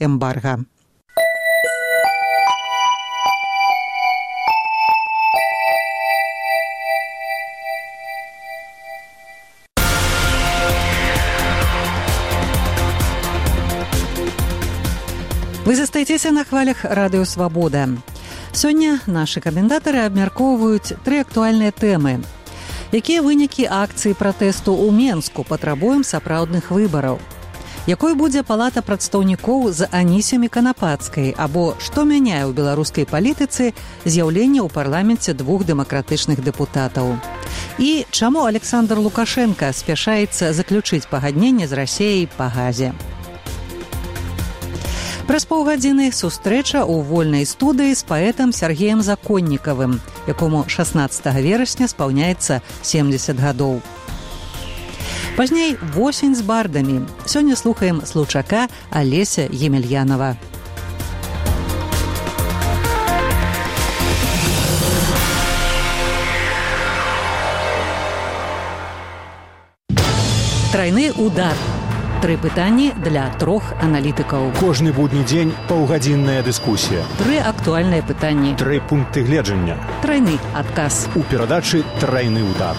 эмбарга. Вы застаецеся на хвалях радыё «Свабода». Сёння нашы каментатары абмяркоўваюць 3 актуальныя тэмы. Якія вынікі акцыі пратэсту ў Менску патрабуем сапраўдных выбараў? Якой будзе палата прадстаўнікоў з Анісімі Канапацкай, або што мяняе ў беларускай палітыцы з'яўленне ў парламенце 2 дэмакратычных дэпутатаў? І чаму Александр Лукашенко спяшаецца заключыць пагадненне з Расеяй па газе? Праз паўгадзіны сустрэча ў вольнай студыі з паэтам Сергеем Законнікавым, якому 16 верасня спаўняецца 70 гадоў. Пазней «Восень з бардамі». Сёння слухаем случака Алеся Емельянова. Тройны удар. 3 пытанні для 3 аналітыкаў. Кожны будні дзень паўгадзінная дыскусія. 3 актуальныя пытанні. 3 пункты гледжання. Тройны адказ. У перадачы «Тройны удар».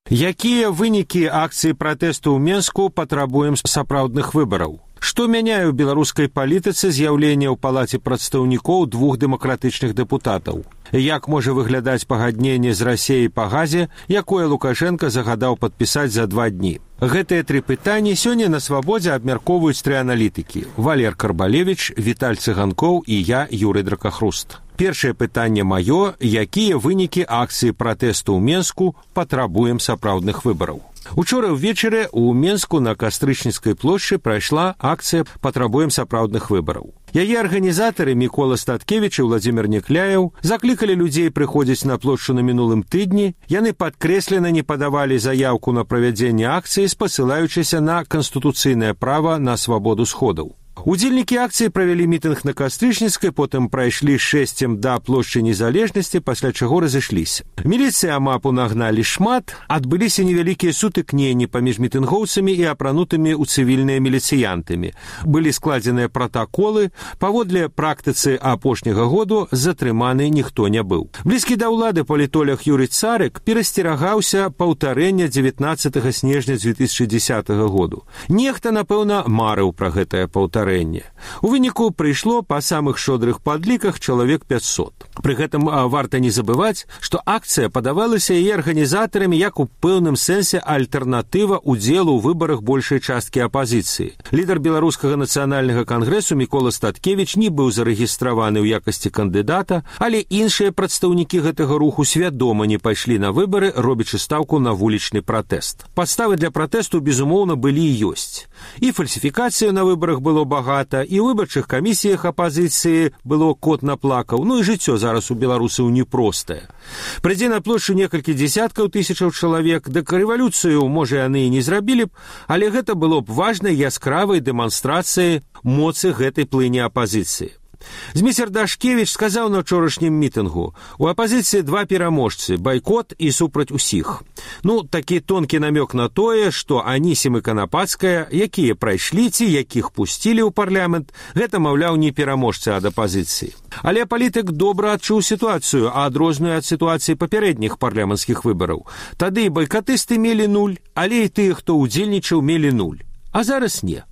Якія вынікі акцыі пратэсту ў Менску патрабуем сапраўдных выбараў? Што мяняе ў беларускай палітыцы з'яўленне ў палаце прадстаўнікоў 2 дэмакратычных дэпутатаў? Як можа выглядаць пагадненне з Расеяй па газе, якое Лукашенко загадаў падпісаць за 2 дні? Гэтыя 3 пытанні сёння на «Свабодзе» абмяркоўваюць 3 аналітыкі: Валер Карбалевіч, Віталь Цыганкоў і я, Юрый Дракахруст. Першае пытанне маё: якія вынікі акцыі пратэсту ў Менску патрабуем сапраўдных выбараў? Учора ўвечары ў Менску на Кастрычніцкай плошчы прайшла акцыя «Патрабуем сапраўдных выбараў». Яе арганізатары Мікола Статкевіч і Владзімір Некляеў заклікалі людзей прыходзіць на плошчу на мінулым тыдні. Яны падкрэслена не падавалі заяўку на правядзенне акцыі, спасылаючыся на канстытуцыйнае права на свабоду сходаў. Удзельнікі акцыі правялі мітынг на Кастрычніцкай, потым прайшлі шэсцем да плошчы Незалежнасці, пасля чаго разышліся. Міліцыя мапу нагналі шмат, адбыліся невялікія сутыкненні паміж мітынгоўцамі і апранутымі ў цывільныя міліцыянтамі. Былі складзеныя пратаколы, паводле практыцы апошняга году затрыманы ніхто не быў. Блізкі да ўлады палітолог Юрый Царык перасцерагаўся паўтарэння 19 снежня 2010 году. Нехта, напэўна, марыў пра гэтае паўтарэнне. У выніку прыйшло па самых шодрых падліках чалавек 500. Пры гэтым варта не забываць, што акцыя падавалася яе арганізатарамі як у пэўным сэнсе альтэрнатыва ўдзелу ў выбарах большай часткі апазіцыі. Лідар беларускага нацыянальнага кангрэсу Мікола Статкевіч не быў зарэгістраваны ў якасці кандыдата, але іншыя прадстаўнікі гэтага руху свядома не пайшлі на выбары, робячы стаўку на вулічны пратэст. Падставы для пратэсту, безумоўна, былі і ёсць. І фальсіфікацыя на выбарах было багата, і ў выбарчых камісіях апазіцыі было кот наплакаў, ну і жыццё зараз у беларусаў непростае. Прыйдзе на плошчу некалькі дзесяткаў тысячаў чалавек, дык рэвалюцыю, можа, яны і не зрабілі б, але гэта было б важнай яскравай дэманстрацыяй моцы гэтай плыні апазіцыі. Зміцер Дашкевіч сказаў на ўчорашнім мітынгу: у апазіцыі 2 пераможцы – байкот і супраць усіх. Ну, такі тонкі намёк на тое, што Анісім і Канапацкая, якія прайшлі ці якіх пусцілі ў парламент, гэта, маўляў, не пераможцы ад апазіцыі. Але палітык добра адчуў сітуацыю, адрозную ад сітуацыі папярэдніх парламенцкіх выбараў. Тады байкатысты мелі 0, але і тыя, хто ўдзельнічаў, мелі 0. А зараз не.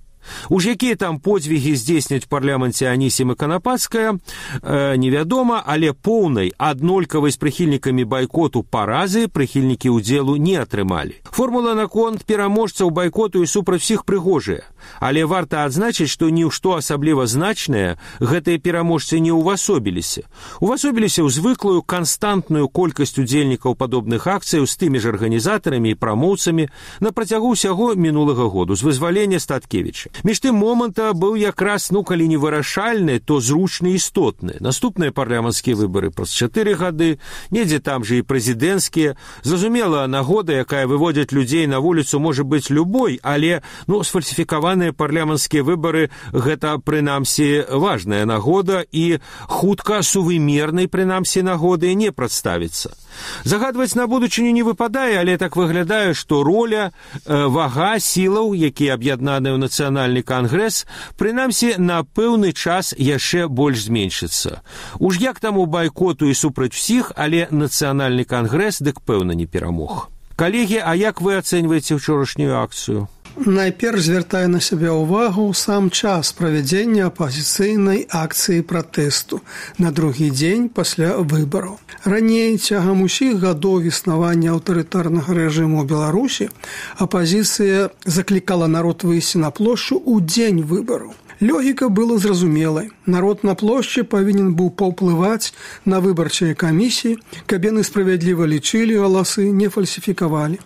Уж якія там подзвігі здзейсняць у парламенце Анісім і Канапацкая, невядома, але поўнай аднолькавай з прыхільнікамі байкоту паразы прыхільнікі ўдзелу не атрымалі. Формула наконт пераможцаў байкоту і супраць усіх прыгожая, але варта адзначыць, што ні ў што асабліва значнае гэтыя пераможцы не ўвасобіліся. Увасобіліся ў звыклую канстантную колькасць удзельнікаў падобных акцыяў з тымі ж арганізатарамі і прамоўцамі на працягу ўсяго мінулага году, з вызвалення Статкевіча. Між тым моманта быў якраз, калі не вырашальны, то зручны і істотны. Наступныя парламенцкія выбары праз 4 гады, недзе там жа і прэзідэнцкія. Зразумела, нагода, якая выводзіць людзей на вуліцу, можа быць любой, але сфальсіфікаваныя парламенцкія выбары – гэта, прынамсі, важная нагода і хутка сувымернай, прынамсі, нагоды не прадставіцца. Загадваць на будучыню не выпадае, але так выглядае, што роля, вага сілаў, якія аб'яднаныя ў нацыянальны кангрэс, прынамсі, на пэўны час яшчэ больш зменшыцца. Уж як таму байкоту і супраць усіх, але нацыянальны кангрэс дык пэўна не перамог. Калегі, а як вы ацэньваеце ўчорашнюю акцыю? Найперш звяртае на сябе ўвагу сам час правядзення апазіцыйнай акцыі пратэсту на другі дзень пасля выбараў. Раней, цягам усіх гадоў існавання аўтарытарнага рэжыму ў Беларусі, апазіцыя заклікала народ выйсці на плошчу ў дзень выбараў. Логіка была зразумелай. Народ на плошчы павінен быў паўплываць на выбарчыя камісіі, каб яны справядліва лічылі галасы, не фальсіфікавалі.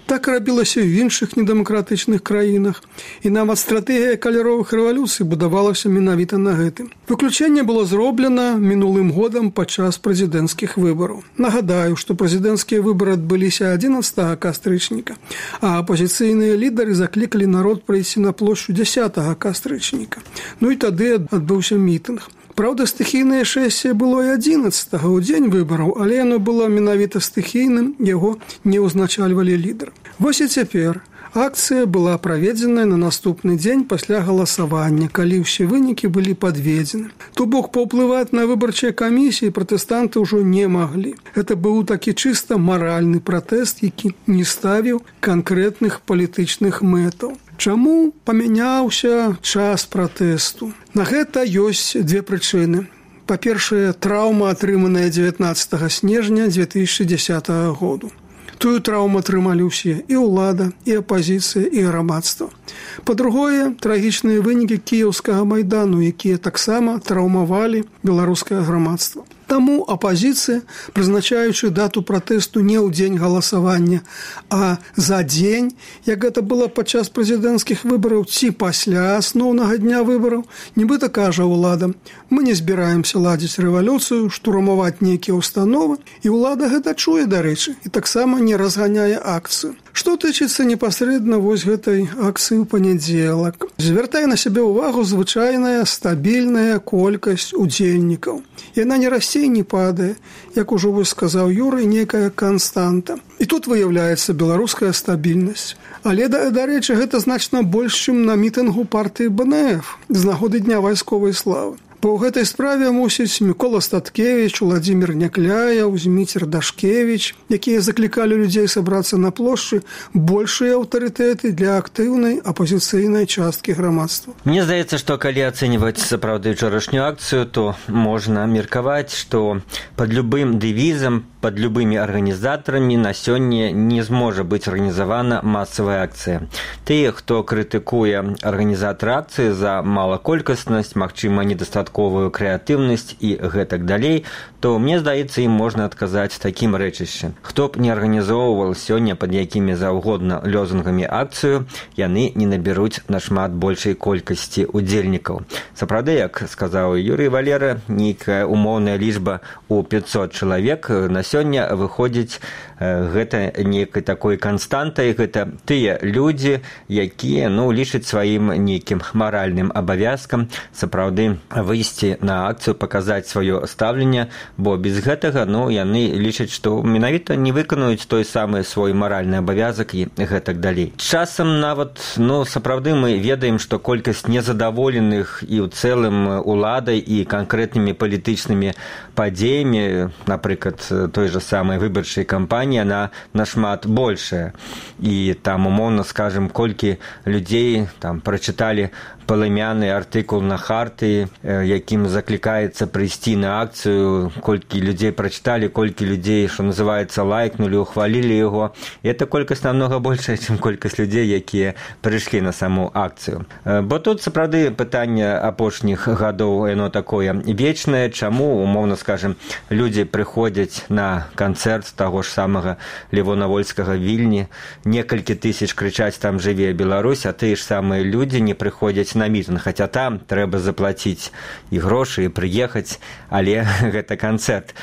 Так рабілася ў іншых недэмакратычных краінах, і нават стратэгія каляровых рэвалюцый будавалася менавіта на гэтым. Выключэнне было зроблена мінулым годам падчас прэзідэнцкіх выбараў. Нагадаю, што прэзідэнцкія выбары адбыліся 11 кастрычніка, а апазіцыйныя лідары заклікалі народ прыйсці на плошчу 10 кастрычніка. І тады адбыўся мітынг. Праўда, стыхійнае шэсце было і 11-го, у дзень выбараў, але яно было менавіта стыхійным, яго не ўзначальвалі лідары. Вось і цяпер акцыя была праведзеная на наступны дзень пасля галасавання, калі ўсе вынікі былі падведзены. То бок паўплываць на выбарчыя камісіі пратэстанты ўжо не маглі. Гэта быў такі чыста маральны пратэст, які не ставіў канкрэтных палітычных мэтаў. Чаму памяняўся час пратэсту? На гэта ёсць две прычыны. Па-першае, траўма, атрыманая 19 снежня 2010 году. Тую траўму атрымалі ўсе, і ўлада, і апазіцыя, і грамадства. Па-другое, трагічныя вынікі кіеўскага майдану, якія таксама траўмавалі беларускае грамадства. Таму апазіцыя, прызначаючы дату пратэсту не ў дзень галасавання, а за дзень, як гэта было падчас прэзідэнцкіх выбараў ці пасля асноўнага дня выбараў, нібыта кажа ўладам: мы не збіраемся ладзіць рэвалюцыю, штурмаваць нейкія ўстановы, і ўлада гэта чуе, дарэчы, і таксама не разганяе акцыю. Што тычыцца непасрэдна вось гэтай акцыі ў панядзелак? Звяртае на сябе ўвагу звычайная стабільная колькасць удзельнікаў. Яна не расце і не падае, як ужо вось сказаў Юрый, некая канстанта. І тут выяўляецца беларуская стабільнасць. Але, дарэчы, гэта значна больш, чым на мітынгу партыі БНФ з нагоды Дня вайсковай славы. Па гэтай справе, мусіць, Мікола Статкевіч, Уладзімір Някляяў, Зміцер Дашкевіч, якія заклікалі людзей сабрацца на плошчы, большыя аўтарытэты для актыўнай апазіцыйнай часткі грамадства. Мне здаецца, што калі ацэньваць сапраўды ўчорашнюю акцыю, то можна меркаваць, што пад любым дэвізам, пад любымі арганізатарамі на сёння не зможа быць арганізавана масавая акцыя. Тыя, хто крытыкуе арганізатары акцыі за малаколькаснасць, магчыма, недастатковую крэатыўнасць і гэтак далей, то, мне здаецца, ім можна адказаць такім рэчышчам. Хто б не арганізоўваў сёння пад якімі заўгодна лозунгамі акцыю, яны не набяруць нашмат большай колькасці удзельнікаў. Сапраўды, як сказаў Юрый Валера, нейкая умоўная лічба ў 500 чалавек на сёння выходзіць гэта нейкай такой канстантай, гэта тыя людзі, якія, лічаць сваім нейкім маральным абавязкам сапраўды выйсці на акцыю, паказаць сваё стаўленне, бо без гэтага, яны лічаць, што менавіта не выканаюць той самы свой маральны абавязак і гэтак далей. Часам нават, сапраўды мы ведаем, што колькасць незадаволеных і ў цэлым уладай і канкрэтнымі палітычнымі падзеямі, напрыклад, той жа самай выбарчай кампаніі, яна нашмат большая. І там, умоўна скажем, колькі людзей там прачыталі палымяны артыкул на Харты, якім заклікаецца прыйсці на акцыю, колькі людзей прачыталі, колькі людзей, што называецца, лайкнулі, ухвалілі яго. І гэта колькасць намнога большая, чым колькасць людзей, якія прыйшлі на саму акцыю. Бо тут, сапраўды, пытанне апошніх гадоў, яно такое вечнае, чаму, умоўна скажем, людзі прыходзяць на на канцэрт таго ж самага Левона Вольскага Вільні, некалькі тысяч крычаць «Там жыве Беларусь», а тыя ж самыя людзі не прыходзяць на мітынг, хаця там трэба заплаціць і грошы, і прыехаць, але гэта канцэрт.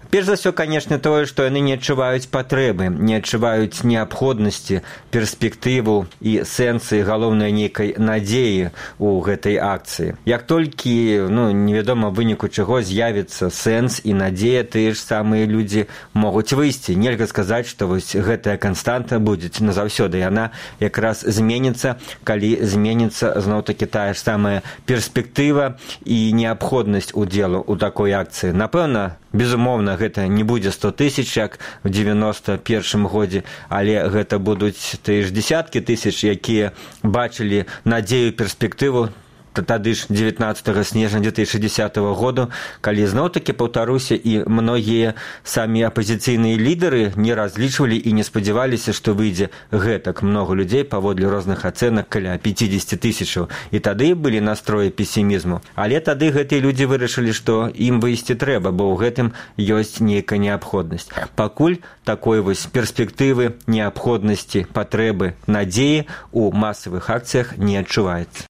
Перш за ўсё, канешне, тое, што яны не адчуваюць патрэбы, не адчуваюць неабходнасці, перспектыву і сэнсы, галоўнай нейкай надзеі ў гэтай акцыі. Як толькі, невядома выніку чаго з'явіцца сэнс і надзея, тыя ж самыя людзі могуць выйсці. Нельга сказаць, што вось гэтая канстанта будзе назаўсёды. Яна якраз зменіцца, калі зменіцца зноў-такі тая ж самая перспектыва і неабходнасць удзелу ў такой акцыі. Напэўна, безумоўна, гэта не будзе 100 тысяч, як у 91 годзе, але гэта будуць тыя ж десяткі тысяч, якія бачылі надзею, перспектыву тады ж 19 снежня 2060 году, калі зноў-такі, паўтаруся, і многія самі апазіцыйныя лідары не разлічвалі і не спадзяваліся, што выйдзе гэтак много людзей, паводле розных ацэнак каля 50 тысячаў. І тады былі настроі песімізму. Але тады гэтыя людзі вырашылі, што ім выйсці трэба, бо ў гэтым ёсць нейкая неабходнасць. Пакуль такой вось перспектывы, неабходнасці, патрэбы, надзеі ў масавых акцыях не адчуваецца.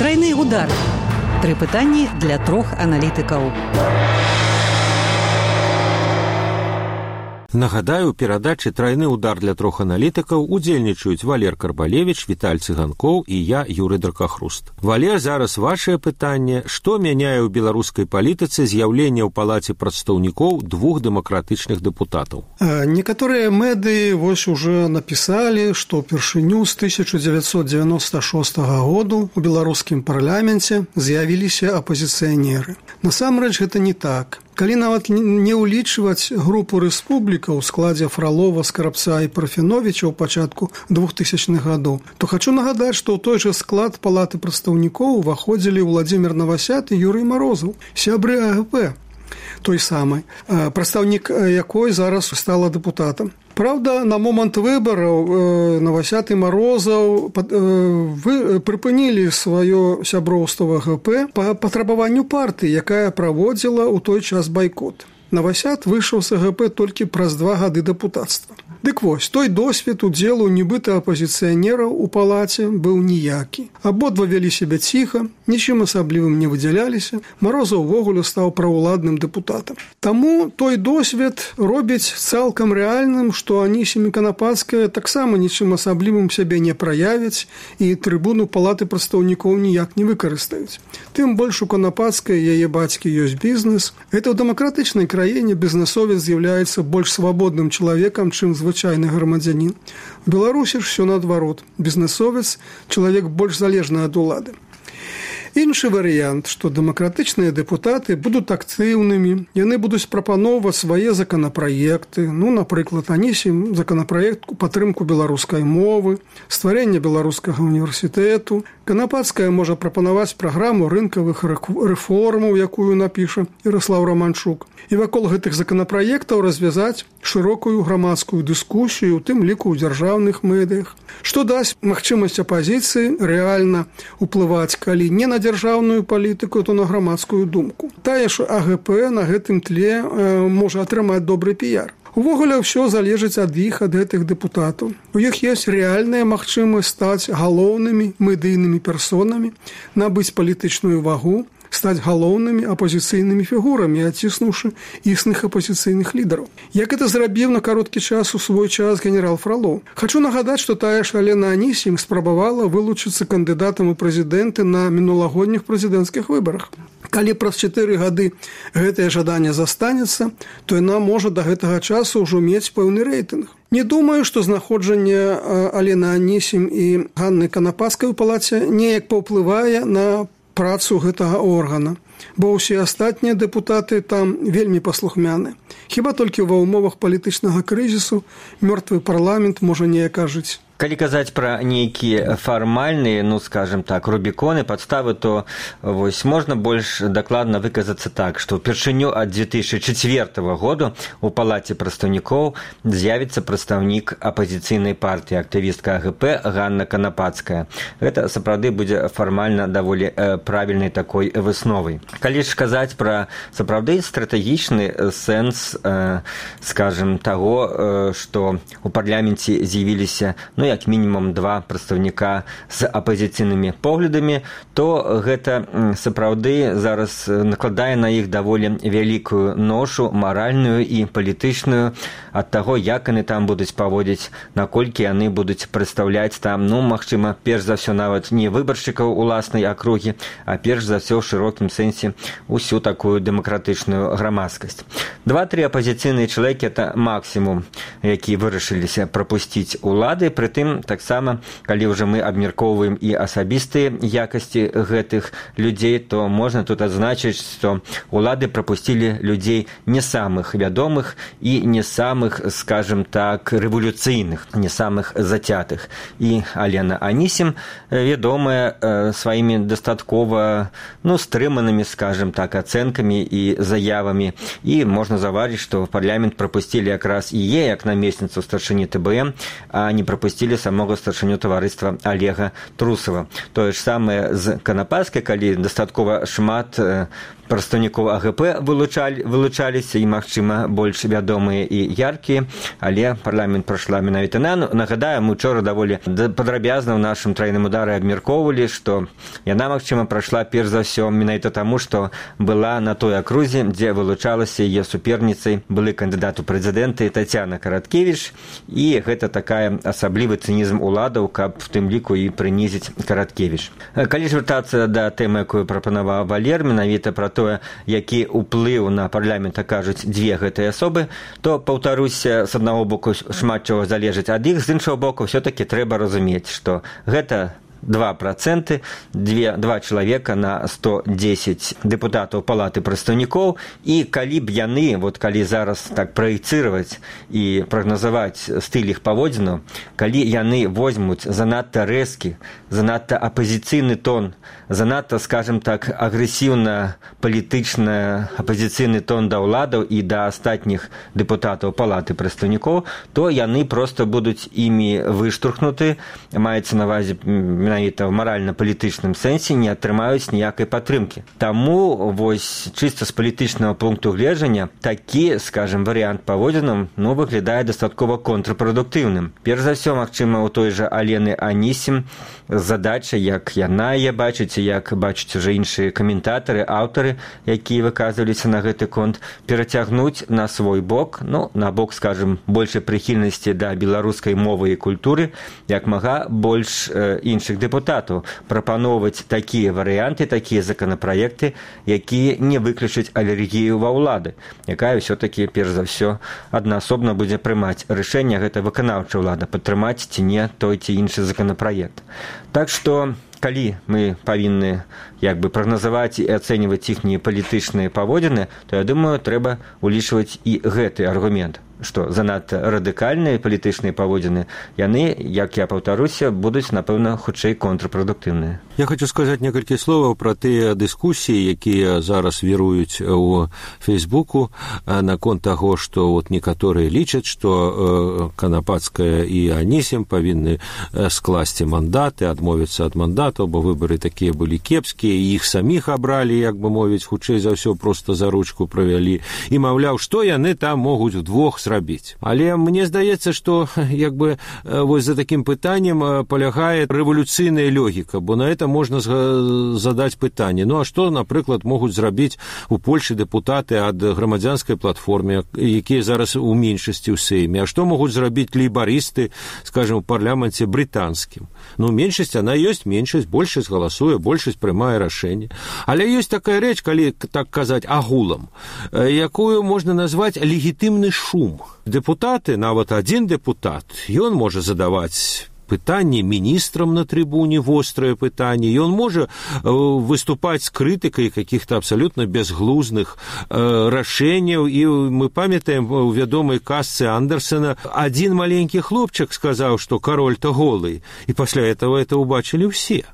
Трайны удар. 3 пытанні для 3 аналітыкаў. Нагадаю, у перадачы «Трайны удар» для 3 аналітыкаў удзельнічаюць Валер Карбалевіч, Віталь Цыганкоў і я, Юрый Дракахруст. Валер, зараз вашае пытанне. Што мяняе ў беларускай палітыцы з'яўленне ў палаце прадстаўнікоў 2 дэмакратычных дэпутатаў? Некаторыя медыі вось уже напісалі, што ўпершыню з 1996 году у беларускім парламенце з'явіліся апазіцыянеры. Насамрэч гэта не так. Калі нават не ўлічваць групу рэспублікаў у складзе Фралова, Скарабца і Парфеновіча ў пачатку 2000-х гадоў, то хачу нагадаць, што ў той жа склад палаты прадстаўнікоў уваходзілі Владзімір Навасят і Юрый Марозаў, сябры АГП, той самай, прадстаўнік якой зараз стала дэпутатам. Праўда, на момант выбараў Навасят і Марозаў прыпынілі сваё сяброўства в АГП па патрабаванню партыі, якая праводзіла ў той час байкот. Навасят выйшаў з АГП толькі праз 2 гады дэпутацтва. Дык вось, той досвед удзелу нібыта апазіцыянераў у палаце быў ніякі. Абодва вялі сябе ціха, нічым асаблівым не выдзяляліся, Марозаў увогуле стаў праўладным дэпутатам. Таму той досвед робіць цалкам рэальным, што Анісім і Канапацкая таксама нічым асаблівым сябе не праявяць і трыбуну палаты прадстаўнікоў ніяк не выкарыстаюць. Тым больш у Канапацкай яе бацькі ёсць бізнес. Гэта ў дэмакратычнай краіне бізнесовец з'яўляецца больш свабодным чалавекам, чым звычайны грамадзянін. У Беларусі ж усё наадварот. Бізнесовец – чалавек больш залежны ад улады. Іншы варыянт, што дэмакратычныя дэпутаты будуць актыўнымі, яны будуць прапаноўваць свае законапраекты, напрыклад, Анісім законапраект у падтрымку беларускай мовы, стварэнне беларускага універсітэту. Канапацкая можа прапанаваць праграму рынкавых рэформаў, якую напіша Ярослаў Романчук. І вакол гэтых законапраектаў развязаць шырокую грамадскую дыскусію, у тым ліку ў дзяржаўных медыях, што дасць магчымасць апазіцыі рэальна ўплываць, калі не на дзяржаўную палітыку, то на грамадскую думку. Тая ж АГП на гэтым тле можа атрымаць добры піяр. Увогуле ўсё залежыць ад іх, ад гэтых дэпутатаў. У іх ёсць рэальная магчымасць стаць галоўнымі медыйнымі персонамі, набыць палітычную вагу, стаць галоўнымі апазіцыйнымі фігурамі, аціснуўшы існых апазіцыйных лідараў. Як гэта зрабіў на кароткі час у свой час генерал Фралоў. Хачу нагадаць, што тая ж Алена Анісім спрабавала вылучыцца кандыдатам у прэзідэнты на мінулагодніх прэзідэнцкіх выбарах. Калі праз 4 гады гэтае жаданне застанецца, то яна можа да гэтага часу ўжо мець пэўны рэйтынг. Не думаю, што знаходжанне Алены Анісім і Ганны Канапацкай у палаце неяк паўплывае на працу гэтага органа, бо ўсе астатнія дэпутаты там вельмі паслухмяны. Хіба толькі ва ўмовах палітычнага крызісу мёртвы парламент можа неяк ажыць. Калі казаць пра нейкія фармальныя, скажем так, рубіконы, падставы, то вось можна больш дакладна выказацца так, што ўпершыню ад 2004 году у палаце прадстаўнікоў з'явіцца прадстаўнік апазіцыйнай партыі, актывістка АГП Ганна Канапацкая. Гэта сапраўды будзе фармальна даволі правільнай такой высновай. Калі ж казаць пра сапраўды стратэгічны сэнс, скажем, таго, што у парламенце з'явіліся, як мінімум 2 прадстаўніка з апазіцыйнымі поглядамі, то гэта сапраўды зараз накладае на іх даволі вялікую ношу маральную і палітычную ад таго, як яны там будуць паводзіць, наколькі яны будуць прадстаўляць там, магчыма, перш за ўсё нават не выбаршчыкаў уласнай акругі, а перш за ўсё ў шырокім сэнсе усю такую дэмакратычную грамадскасць. 2-3 апазіцыйныя чалавекі – это максімум, які вырашыліся прапусціць улады, прытым таксама, калі ўжо мы абмяркоўваем і асабістыя якасці гэтых людзей, то можна тут адзначыць, што улады прапусцілі людзей не самых вядомых і не самых, скажем так, рэвалюцыйных, не самых зацятых. І Алена Анісім вядомая сваімі дастаткова, стрыманымі, скажем так, ацэнкамі і заявамі. І можна заўважыць, што в парламент прапусцілі якраз і як намесніцу старшыні ТБМ, а не прапусцілі самого старшыню таварыства Олега Трусова. Тое ж самае з Канапацкай, калі дастаткова шмат прадстаўнікоў АГП вылучаліся і, магчыма, больш вядомыя і яркія, але парламент прайшла менавіта Нагадаю, мы учора даволі падрабязна ў нашым трайным удары абмяркоўвалі, што яна, магчыма, прайшла перш за ўсё менавіта таму, што была на той акрузе, дзе вылучалася яе суперніцай былы кандыдат у прэзідэнты Тацяна Караткевіч, і гэта такая асаблівы цынізм уладаў, каб в тым ліку і прынізіць Караткевіч. Калі ж вяртацца да тэмы, якую прапанаваў Валер, менавіта пра тое, які ўплыў на парламент акажуць 2 гэтыя асобы, то, паўтаруся, з аднаго боку шмат чаго залежыць ад іх, з іншага боку ўсё-такі трэба разумець, што гэта 2%, 2 чалавека на 110 дэпутатаў палаты прадстаўнікоў, і калі б яны, калі зараз так праецыраваць і прагназаваць стыль іх паводзінаў, калі яны возьмуць занадта рэзкі, занадта апазіцыйны тон, занадта, скажем так, агрэсіўна-палітычна апазіцыйны тон да ўладаў і да астатніх дэпутатаў палаты прадстаўнікоў, то яны проста будуць імі выштурхнуты, маецца на ўвазе менавіта в маральна-палітычным сэнсе, не атрымаюць ніякай падтрымкі. Таму чыста з палітычнага пункту гледжання такі, скажем, варыянт паводзінаў выглядае дастаткова контрпрадуктыўным. Перш за ўсё, магчыма, у той жа Алены Анісім задача, як яна яе бачыць, як бачаць уже іншыя каментатары, аўтары, якія выказваліся на гэты конт, перацягнуць на свой бок, на бок, скажем, большай прыхільнасці да беларускай мовы і культуры, як мага больш іншых дэпутатаў, прапаноўваць такія варыянты, такія законапраекты, якія не выключаць алергію ва ўлады, якая ўсё-такі, перш за ўсё, аднаасобна будзе прымаць рашэнне, гэта выканаўчая ўлада, падтрымаць ці не той ці іншы законапраект. Так што, калі мы павінны прагназаваць і ацэньваць іхнія палітычныя паводзіны, то, я думаю, трэба улічваць і гэты аргумент, што занадта радыкальныя палітычныя паводзіны, яны, як я паўтаруся, будуць, напэўна, хутчэй контрпрадуктыўныя. Я хочу сказаць некалькі словаў пра тыя дыскусіі, якія зараз віруюць у Фейсбуку наконт таго, што некаторыя лічаць, што Канапацкая і Анісім павінны скласці мандаты, адмовіцца ад мандатаў, бо выбары такія былі кепскія, і іх саміх абралі, як бы мовіць, хутчэй за ўсё проста за ручку правялі, і, маўляў, што яны там могуць удвох зрабіць. Але мне здаецца, што за такім пытаннем палягае рэвалюцыйная логіка, бо на это можна задаць пытанне. А што, напрыклад, могуць зрабіць у Польшы дэпутаты ад грамадзянскай платформы, якія зараз у меншасці ў Сейме? А што могуць зрабіць лейбарысты, скажем, у парламенце брытанскім? Меншасць, она ёсць меншасць, большасць галасуе, большасць прымае рашэнне. Але ёсць такая рэч, калі так казаць агулам, якую можна назваць легітымны шум. Дэпутаты, нават адзін дэпутат, ён можа задаваць пытанне, міністрам на трибуне вострае пытанне, і ён можа выступаць з крытыкай каких-то абсолютно безглузных рашэнняў. І мы памятаем у вядомай казцы Андерсена, один маленькі хлопчык сказаў, што кароль-то голый, і пасля этого это убачили все.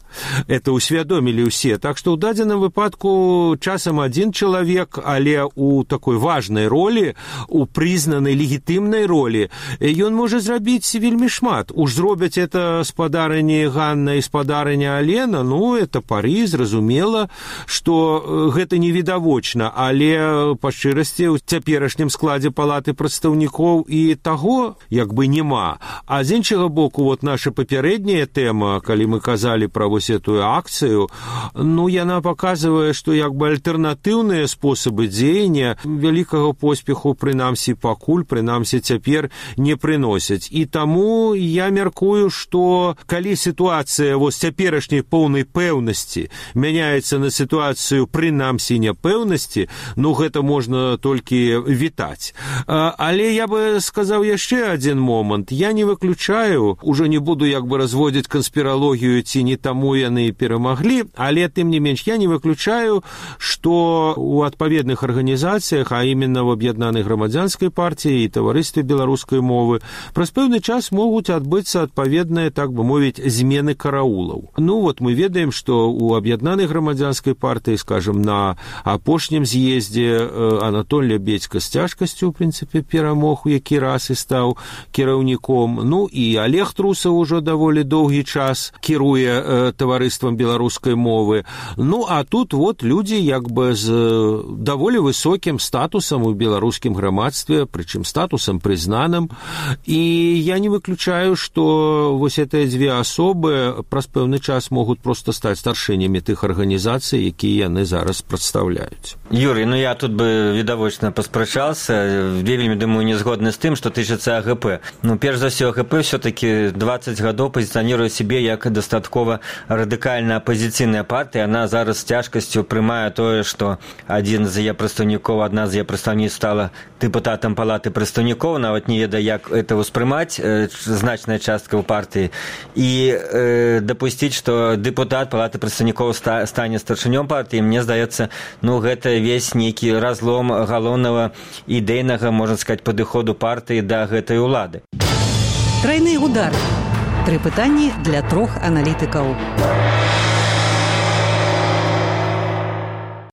Это усвядомілі ўсе. Так што ў дадзеным выпадку часам один чалавек, але у такой важнай ролі, у прызнанай легітымнай ролі, ён можа зрабіць вельмі шмат. Уж зробяць это спадарыні Ганна і спадарыня Алена, ну, это пары, зразумела, што гэта невідавочна, але па шчырасці ў цяперашнім складзе палаты прадстаўнікоў і таго як бы няма. А з іншага боку, вот наша папярэдняя тэма, калі мы казалі пра вось эту акцыю, ну, яна паказвае, што як бы альтэрнатыўныя спосабы дзеяння вялікага поспеху, прынамсі пакуль, прынамсі цяпер не прыносяць. І таму я мяркую, што калі сітуацыя вось цяперашняй поўнай пэўнасці мяняецца на сітуацыю прынамсі няпэўнасці, ну, гэта можна толькі вітаць. Але я бы сказаў яшчэ адзін момант. Я не выключаю, ужо не буду як бы разводзіць канспіралогію, ці не таму яны перамаглі, але тым не менш я не выключаю, што у адпаведных арганізацыях, а именно в Аб'яднанай грамадзянскай партыі і таварыстве беларускай мовы, праз пэўны час могуць адбыцца адпаведныя, так бы мовіць, змены караулаў. Ну вот мы ведаем, што у Аб'яднанай грамадзянскай партыі, скажем, на апошнім з'ездзе Анатоль Лябедзька з цяжкасцю, у прынцыпе, перамог у які раз і стаў кіраўніком. Ну і Олег Трусаў ужо даволі доўгі час кіруе таварыствам беларускай мовы. Ну, а тут вот людзі як бы з даволі высокім статусам у беларускім грамадстве, прычым статусам прызнаным. І я не выключаю, што вось гэтыя дзве асобы праз пэўны час могуць проста стаць старшынямі тых арганізацый, якія яны зараз прадстаўляюць. Юрий, ну я тут бы відавочна паспрачаўся, вельмі, думаю, не згодны з тым, што тычыцца АГП. Ну, перш за ўсё, АГП все-таки 20 гадоў пазіцыяніруе сябе як дастаткова радыкальная апозіцыйная партыя. Яна зараз з цяжкасцю прымае тое, што адзін з яе прадстаўнікоў, адна з яе прадстаўніц стала дэпутатам палаты прадстаўнікоў, нават не ведае, як это ўспрымаць, значная частка ў партыі. І дапусціць, што дэпутат палаты прадстаўнікоў стане старшынём партыі, мне здаецца, ну, гэта весь нейкі разлом галоўнага ідэйнага, можна сказаць, падыходу партыі да гэтай улады. Трайны удар. 3 пытанні для 3 аналітыкаў.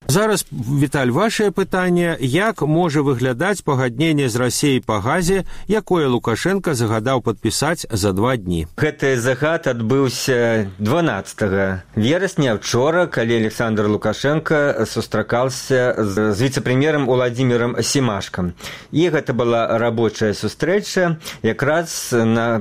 Зараз, Віталь, вашее пытанне, як можа выглядаць пагадненне з Расіяй па газе, якое Лукашенко загадаў падпісаць за 2 дні? Гэты загад адбыўся 12 верасня, учора, калі Александр Лукашенко сустракаўся з віцэ-прэм'ерам Уладзімірам Семашкам. І гэта была рабочая сустрэча. Якраз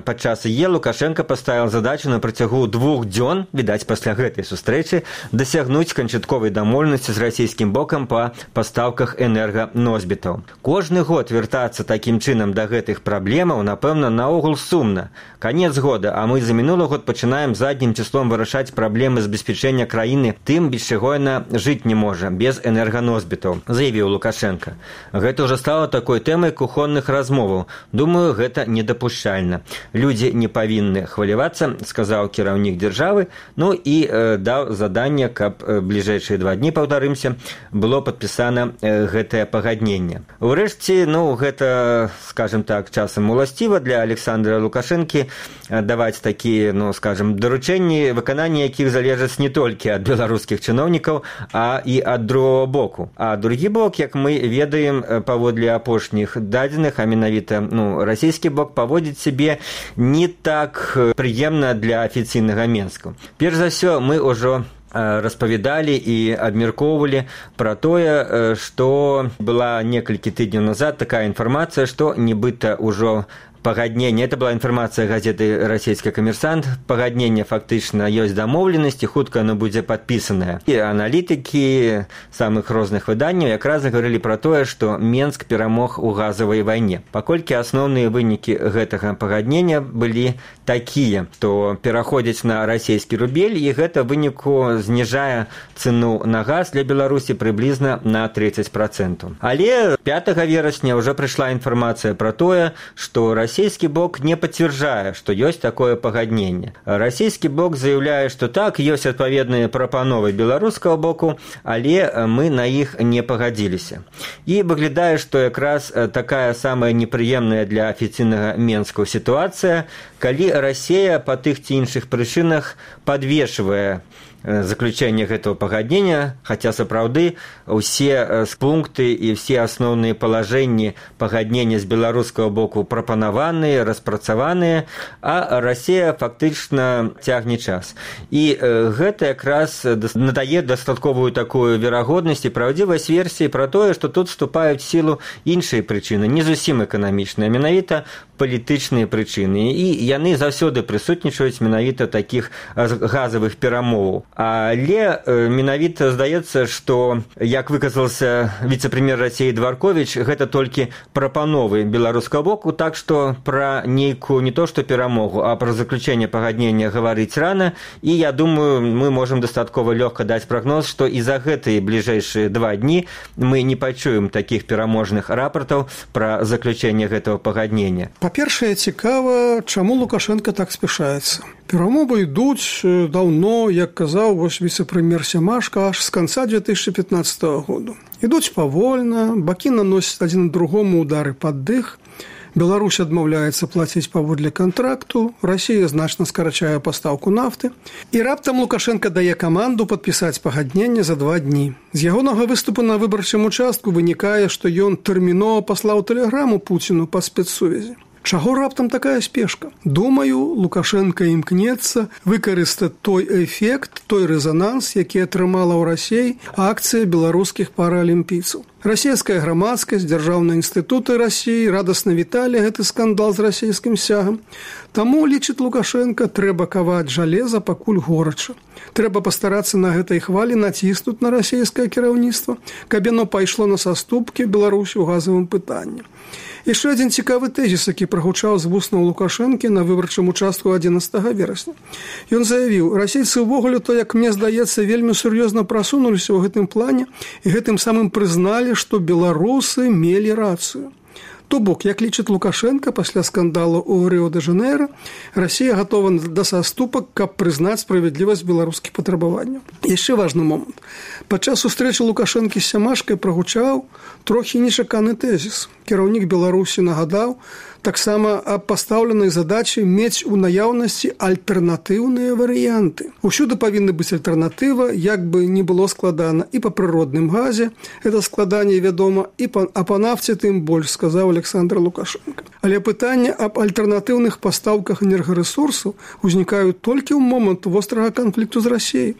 падчас яе Лукашенко паставіў задачу на працягу 2 дзён, відаць, пасля гэтай сустрэчы, дасягнуць канчатковай дамоўленасці з расійскім бокам па пастаўках энерганосьбітаў. Кожны год вяртацца такім чынам да гэтых праблемаў, напэўна, наогул сумна. Канец года, а мы за мінулы год пачынаем заднім числом вырашаць праблемы забеспячэння краіны тым, без чаго яна жыць не можа, без энерганосьбітаў, заявіў Лукашенко. Гэта ўжо стала такой тэмай кухонных размоваў. Думаю, гэта недапушчальна. Людзі не павінны хвалявацца, сказаў кіраўнік дзяржавы, ну і даў заданне, каб бліжэйшыя 2 дні, паўтарымся, было падпісана гэтае пагадненне. Урэшце, ну, гэта, скажем так, часам уласціва для Александра Лукашэнкі даваць такія, ну, скажем, даручэнні, выкананне якіх залежаць не толькі ад беларускіх чыноўнікаў, а і ад другого боку. А другі бок, як мы ведаем, паводле апошніх дадзеных, а менавіта, ну, расійскі бок паводзіць сябе не так прыемна для афіцыйнага Менску. Перш за ўсё, мы ўжо распавядалі і абмяркоўвалі пра тое, што была некалькі тыдняў назад такая інфармацыя, што нібыта ўжо пагадненне, это была інфармацыя газеты «Расійскі камерсант», пагадненне фактычна ёсць дамоўленасці, хутка оно будзе падпісанае. І аналітыкі самых розных выданняў якраз гаварылі пра тое, што Менск перамог у газавай вайне. Паколькі асноўныя вынікі гэтага пагаднення былі такія, што пераходзяць на расійскі рубель, і гэта выніку зніжае цэну на газ для Беларусі прыблізна на 30%. Але 5 верасня ўжо прыйшла інфармацыя пра тое, што Расія расійскі бок не пацвярджае, што ёсць такое пагадненне. Расійскі бок заяўляе, што так, ёсць адпаведныя прапановы беларускага боку, але мы на іх не пагадзіліся. І выглядае, што якраз такая самая непрыемная для афіцыйнага Менска сітуацыя, калі Расія па тых ці іншых прычынах падвешвае заключэнне гэтага пагаднення, хаця сапраўды ўсе пункты і ўсе асноўныя палажэнні пагаднення з беларускага боку прапанаваныя, распрацаваныя, а Расія фактычна цягне час. І гэта якраз надае дастатковую такую верагоднасць і праўдзівасць версіі пра тое, што тут вступаюць в сілу іншыя прычыны, не зусім эканамічныя, менавіта палітычныя прычыны. І яны заўсёды прысутнічаюць менавіта такіх газавых перамоваў. Але менавіта здаецца, што, як выказался віцэ-прэм'ер Расіі Дварковіч, гэта толькі прапановы беларускага боку, так што пра нейкую не то што перамогу, а пра заключэнне пагаднення гаварыць рана. І я думаю, мы можам дастаткова лёгка даць прагноз, што і за гэтыя бліжэйшыя 2 дні мы не пачуем такіх пераможных рапартаў пра заключэнне гэтага пагаднення. Па-першае, цікава, чаму Лукашенко так спяшаецца. Перамовы ідуць даўно, як казаў віцэ-прэм'ер Сямашка, аж з канца 2015 году. Ідуць павольна, бакі наносяць адзін другому удары пад дых, Беларусь адмаўляецца плаціць паводле кантракту, Расія значна скарачае пастаўку нафты, і раптам Лукашенко дае каманду падпісаць пагадненне за 2 дні. З ягонага выступу на выбарчым участку вынікае, што ён тэрмінова паслаў тэлеграму Пуціну па спецсувязі. Чаго раптам такая спешка? Думаю, Лукашенко імкнецца выкарыстаць той эфект, той рэзананс, які атрымала ў Расіі акцыя беларускіх паралімпійцаў. Расійская грамадскасць, дзяржаўныя інстытуты Расіі радасна віталі гэты скандал з расійскім сцягам. Таму, лічыць Лукашенко, трэба каваць жалеза, пакуль горача. Трэба пастарацца на гэтай хвалі націснуць на расійскае кіраўніцтва, каб яно пайшло на саступкі Беларусі ў газавым пытанні. Яшчэ адзін цікавы тэзіс, які прагучаў з вуснаў Лукашэнкі на выбарчым участку 11 верасня. Ён заявіў, расейцы ўвогуле, то, як мне здаецца, вельмі сур'ёзна прасунуліся ў гэтым плане і гэтым самым прызналі, што беларусы мелі рацыю. То бок, як лічыць Лукашенко, пасля скандалу ў Рыо-де-Жанейра, Расія гатова да саступак, каб прызнаць справядлівасць беларускіх патрабаванняў. Яшчэ важны момант. Падчас сустрэчы Лукашэнкі з Сямашкай прагучаў трохі нечаканы тэзіс. Кіраўнік Беларусі нагадаў таксама аб пастаўленай задачы мець у наяўнасці альтэрнатыўныя варыянты. Усюды павінна быць альтэрнатыва, як бы не было складана і па прыродным газе, гэта складанне вядома, і па нафце тым больш, сказаў Александр Лукашенко. Але пытанне аб альтэрнатыўных пастаўках энергарэсурсаў узнікаюць толькі ў момант вострага канфлікту з Расіяй.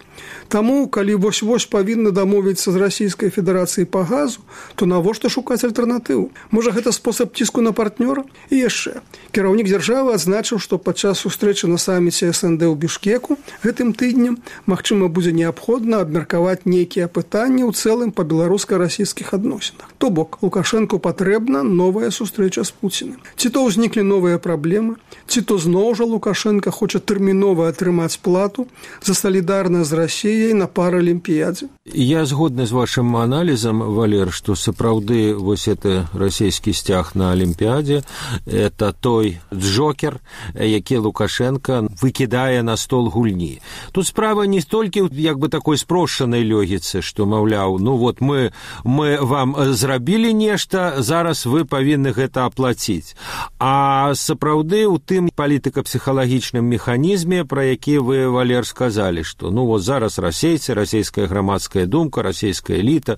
Таму, калі вось-вось павінны дамовіцца з Расійскай Федэрацыяй па газу, то навошта шукаць альтэрнатыву? Можа, гэта спосаб ціску на партнёра? І яшчэ. Кіраўнік дзяржавы адзначыў, што падчас сустрэчы на саміце СНД ў Бішкеку гэтым тыднем, магчыма, будзе неабходна абмеркаваць нейкія пытанні ў цэлым па беларуска-расійскіх адносінах. То бок, Лукашэнку патрэбна новая сустрэча з Пуцінам. Ці то ўзніклі новыя праблемы, ці то зноў жа Лукашенко хоча тэрмінова атрымаць плату за салідарнасць з Расіяй на паралімпіядзе. Я згодны з вашым аналізам, Валер, што сапраўды вось это расійскі сцяг на Алімпіядзе это той джокер, які Лукашенко выкідае на стол гульні. Тут справа не столькі як бы такой спрошчанай логіцы, што, маўляў, ну вот мы вам зрабілі нешта, зараз вы павінны гэта аплаціць. А сапраўды ў тым палітыка-псіхалагічным механізме, пра які вы, Валер, сказалі, што ну вот зараз расейцы, расійская грамадская думка, расійская эліта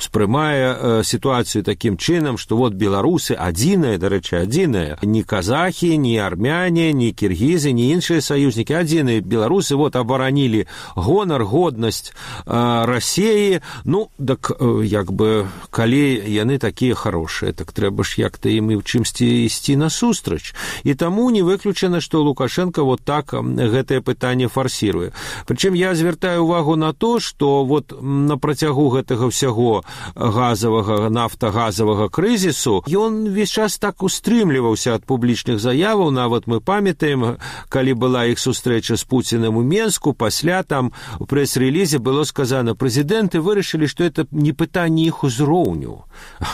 успрымае сітуацыю такім чынам, што вот беларусы адзіныя, дарэчы, адзіныя, ні казахі, ні армяне, ні кіргізы, ні іншыя саюзнікі, адзіныя беларусы вот абаранілі гонар, годнасць Расіі. Ну, так як бы калі яны такія хорошыя, так трэба ж як-то ім і ў чымсьці ісці насустрач. І таму не выключана, што Лукашенко вот так гэтае пытанне фарсіруе. Прычым я звяртаю увагу на то, што вот на працягу гэтага ўсяго газавага, нафтагазавага крызісу ён весь час так устрымліваўся ад публічных заяваў. Нават мы памятаем, калі была іх сустрэча з Пуціным у Менску, пасля там у прэс-рэлізе было сказано, прэзідэнты вырашылі, што это не пытанне іх узроўню.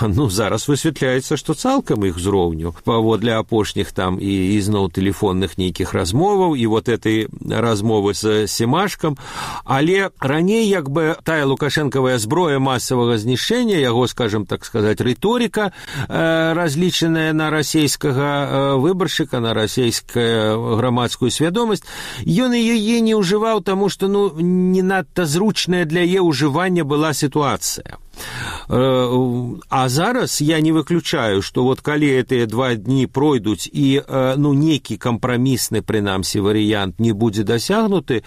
Ну, зараз высвятляецца, што што цалкам іх узроўню, паводле апошніх там і ізноў тэлефонных нейкіх размоваў, і вот этой размовы з Семашкам, але раней як бы тая лукашэнкавая зброя масавага знішчэння, яго, скажем так сказаць, рыторыка, разлічаная на расійскага выбаршчыка, на расійскую грамадскую свядомасць, ён яе не ўжываў, таму што не надта зручная для яе ўжывання была сітуацыя. А зараз я не выключаю, што вот калі гэтыя 2 дні пройдуць і нейкі кампрамісны, прынамсі, варыянт не будзе дасягнуты,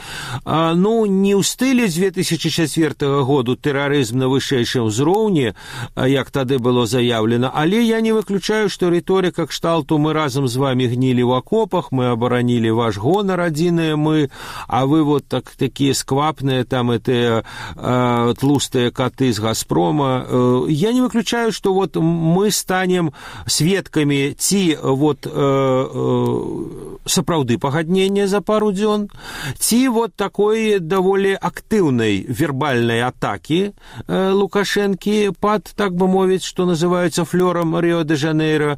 не ў стылі з 2004 году тэрарызм на вышэйшым узроўні, як тады было заяўлена, але я не выключаю, што рыторыка кшталту «мы разам з вами гнілі ў акопах, мы абаранілі ваш гонар, адзіныя мы, а вы вот такія сквапныя, там гэтыя тлустыя каты з Газпрома». Я не выключаю, что вот мы станем сведкамі ці вот сапраўды пагаднення за пару дзён, ці вот такой даволі актыўнай вербальнай атакі Лукашэнкі пад, так бы мовіць, што называецца флёрам Ріо-де-Жанейро,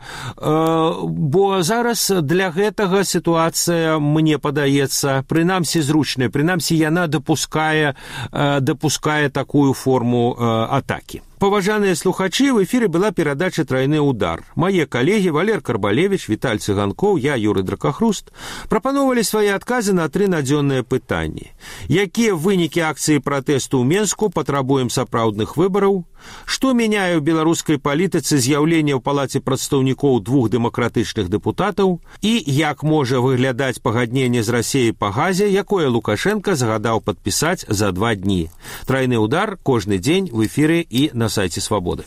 бо зараз для гэтага сітуацыя, мне падаецца, прынамсі зручная, прынамсі яна дапускае такую форму атакі. Паважаныя слухачы, в эфіры была перадача «Трайны удар». Мае калегі Валер Карбалевіч, Віталь Цыганкоў, я, Юрый Дракахруст, прапановалі свае адказы на 3 надзённыя пытанні. Якія вынікі акцыі пратэсту ў Менску патрабуем сапраўдных выбараў? Што мяняе ў беларускай палітыцы з'яўленне ў палаце прадстаўнікоў 2 дэмакратычных дэпутатаў? І як можа выглядаць пагадненне з Расіяй па газе, якое Лукашенко загадаў падпісаць за 2 дні? «Трайны удар» кожны дзень в эфіры і на сайте «Свободы».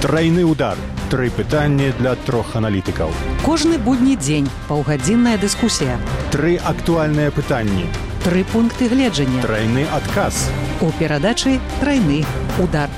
Трайны удар. 3 пытанні для 3 аналітыкаў. Кожны будні дзень паўгадзінная дыскусія. 3 актуальныя пытанні. 3 пункты гледжання. Трайны адказ. У перадачы «Трайны удар».